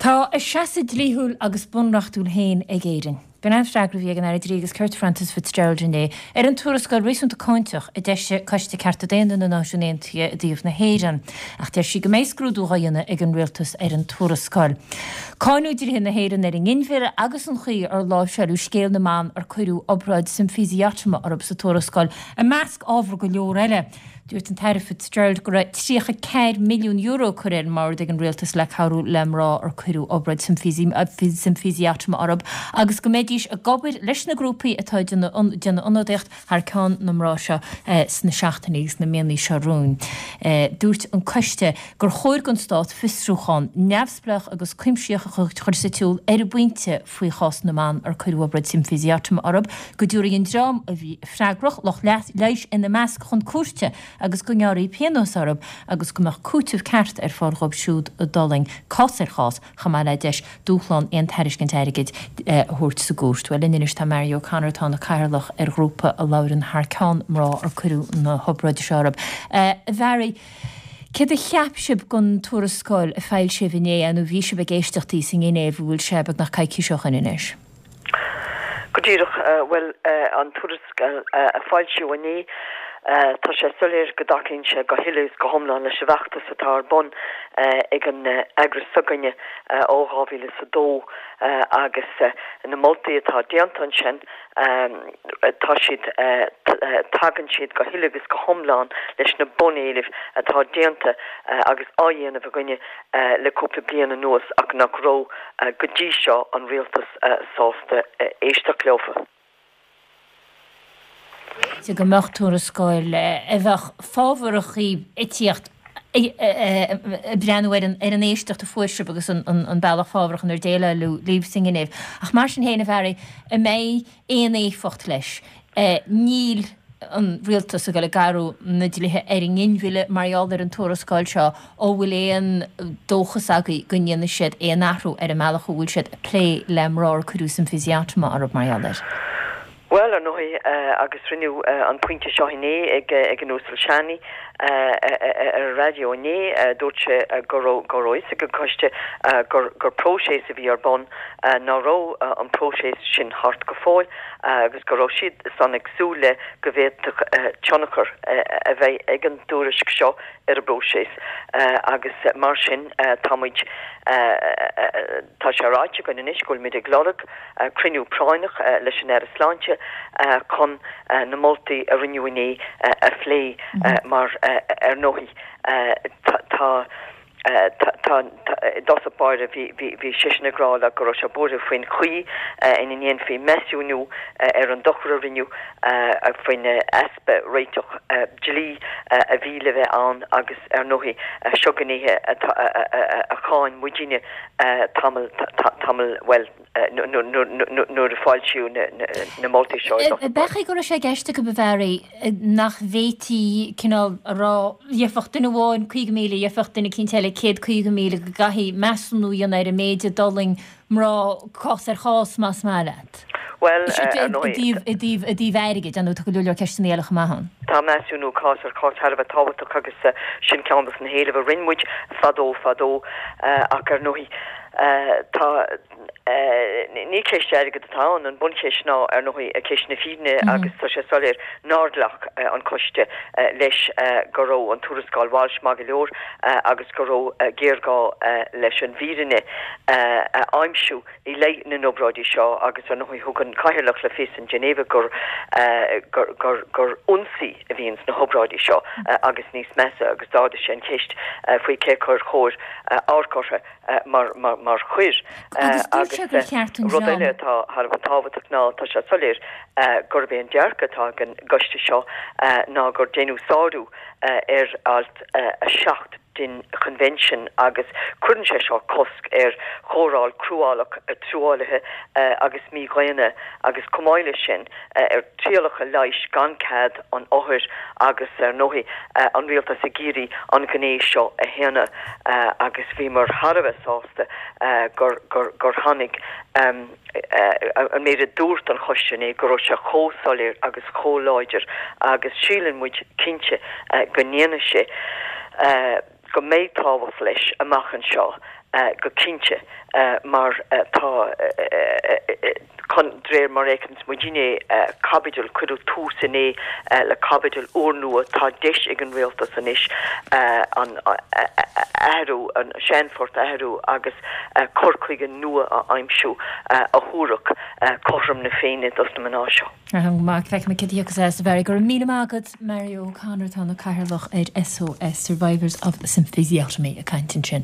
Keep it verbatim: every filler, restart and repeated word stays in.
Tá a seasamh dlíthiúil agus bunreachtúil féin ag Éirinn. B'in an freagra a bhí ag an Aire Dlí agus Cirt Frances Fitzgerald inné ar an tuarascáil réasúnta cáinteach a d'eisigh Coiste Cearta Daonna na Náisiún Aontaithe i dtaobh na hÉireann, ach deir sí go mbeidh scrúdú á dhéanamh ag an rialtas ar an tuarascáil. Cáineadh dlíthe na hÉireann ar an nginmhilleadh agus an chaoi ar láimhseáladh scéal na mban ar cuireadh obráid symphysiotomy orthu sa tuarascáil, i measc ábhar go leor eile. Dúirt an tAire Fitzgerald go raibh tríocha ceathair milliún euro curtha ar an mbord ag an rialtas le cabhrú le mná ar cuireadh obráid symphysiotomy orthu agus go mbeidís ag obair leis na grúpaí atá ag déanamh ionadaíocht thar ceann na mná seo sna seachtainí agus na míonna seo romhainn. Dúirt an coiste gur chóir don stát fiosrúchán neamhspleách agus cuimsitheach a chur sa tsiúl ar an bpointe faoi chás na mban ar cuireadh obráid symphysiotomy orthu, go dtabharfaí an dream a bhí freagrach, lucht leighis ina measc, chun cúirte agus go ngearrfaí pionós orthu agus go mbeadh cúiteamh ceart ar fáil dhóibh siúd a d'fhulaing cás ar chás, chomh maith le deis dúshlán aon tairiscint airgid a thabhairt sa gcúirt. Bhuel, linn anois tá Mary O'Connor, atá ina cathaoirleach ar ghrúpa a labhrann thar ceann mná ar cuireadh na hobráide seo orthu. A Mhary, céard a cheap sibh den tuarascáil a foilsíodh inné, nó bhí sibh ag éisteachtaí sa nGinéiv, an bhfuil sé beagnach coicís ó shin anois? Go díreach, bhuel, an tuarascáil a foilsíodh inné, tá sé soiléir go dtacaíonn sé go huile is go hiomlán leis an bhfeachtas atá ar bun ag an eagras s'againne ó dhá mhíle is a dó agus na moltaí atá déanta ansin, tá siad, tagann siad go huile agus go hiomlán leis na bunéilimh atá déanta agus á dhéanamh againne le cúpla bliain anuas ach nach raibh go dtí seo an rialtas sásta éisteacht leofa. go mbeadh tuarascáil a bheadh fábharach ag tíocht ag breathnú ar an éisteacht a fuair sibh agus an bealach fábharach inar déileáladh libh sa nGinéiv. Ach mar sin féin, a Mhary, an mbeidh aon éifeacht leis? Níl an rialtas ag dul ag athrú na dlíthe ar an nginmhilleadh mar gheall ar an tuarascáil seo, an bhfuil aon dóchas agaibh go ndéanfaidh siad aon athrú ar an mbealach a bhfuil siad ag plé le mná ar cuireadh symphysiotomy orthu mar gheall air? Bhuel, ar ndóigh, agus rinneadh an pointe seo inné ag ag an Uasal Seaney ar an raidió inné, dúirt sé go raibh go raibh fhios ag an coiste gur gur próiseas a bhí ar bun, nach raibh an próiseas sin thart go fóill agus go raibh siad san ag súil le go bhféadfadh tionchar a bheith ag an dtuairisc seo ar an bpróiseas agus mar sin tá muid tá sé ráite againn anois go bhfuil muid ag lorg cruinniú práinneach leis an Aire Sláinte chun na moltaí a rinneadh inné a phlé mar ar ndóigh tá tá i dtosach báire bhí bhí seisean ag rá le go raibh sé buartha faoin chaoi ina ndéanfaí measúnú ar an dochar a rinneadh faoin easpa réiteach dlí a bhí le bheith ann agus ar ndóigh seo gnéithe a cháin muidinne tamall tamall bhuel nuair a foilsíodh na moltaí seo i dtosach. B'fhéidir go raibh sé i gceist acu, a Mhary, nach bhféadfaí cineál a rá, gheobhadh duine amháin caoga míle, gheobhadh duine eicínt eile céad caoga míle, go gcaithfí measúnú a dhéanamh ar an méid a d'fhulaing mná cás ar chás, más maith leat. Bhuel, ar ndóigh. I dtaobh i dtaobh airgid, ar ndóigh, tá go leor leor ceisteanna eile chomh maith ann. Tá measúnú cás ar chás thar a bheith tábhachtach agus sin ceann dos na héilimh a rinne muid fadó fadó ach ar ndóigh tá Ní ceist airgid atá ann, an buncheist ná, ar ndóigh, ceist na fírinne agus tá sé soiléir nár ghlac an coiste leis go raibh an tuarascáil Walsh maith go leor agus go raibh géarghá leis an bhfírinne a aimsiú i leith na n-obráidí seo agus, ar ndóigh, thug an Cathaoirleach le fios in Geneva gur gur ionsaí a bhí ins na hobráidí seo agus níos measa agus d'ardaigh sé an cheist faoi cé acu ar chóir amharc orthu. mar mar choir. Agus dúirt sé gur cheart an Rud dream. eile atá thar a bheith tábhachtach ná tá sé soiléir gurb é an dearcadh atá ag an gcoiste seo ná gur déanadh sárú ar alt a seacht den Choinbhinsean agus cuireann sé seo cosc ar chóireáil cruálach, truaillithe agus mídhaonna agus chomh maith leis sin ar trialacha leighis gan cead an othair agus, ar ndóigh, an rialtas ag iarraidh an ghné seo a shéanadh agus bhíomar thar a bheith sásta gur gur tháinig an méid a dúirt an choiste inné, go raibh sé chomh soiléir agus chomh láidir agus síleann muid cinnte go ndéanfaidh sé go mbeidh tábhacht leis amach anseo. go cinnte mar tá chun de réir mar a fheiceanns muidinne caibidil, cuireadh tús inné le caibidil úrnua, tá deis ag an rialtas anois an athrú, an seanphort a athrú agus cur chuige nua a aimsiú a thabharfadh cothrom na Féinne dos na mná seo. Maith, feicfimid cad a thiocfas as, a Mhary. Go raibh míle maith agat, Mary O'Connor, atá ina cathaoirleach ar SOS, Survivors of Symphysiotomy, ag caint ansin.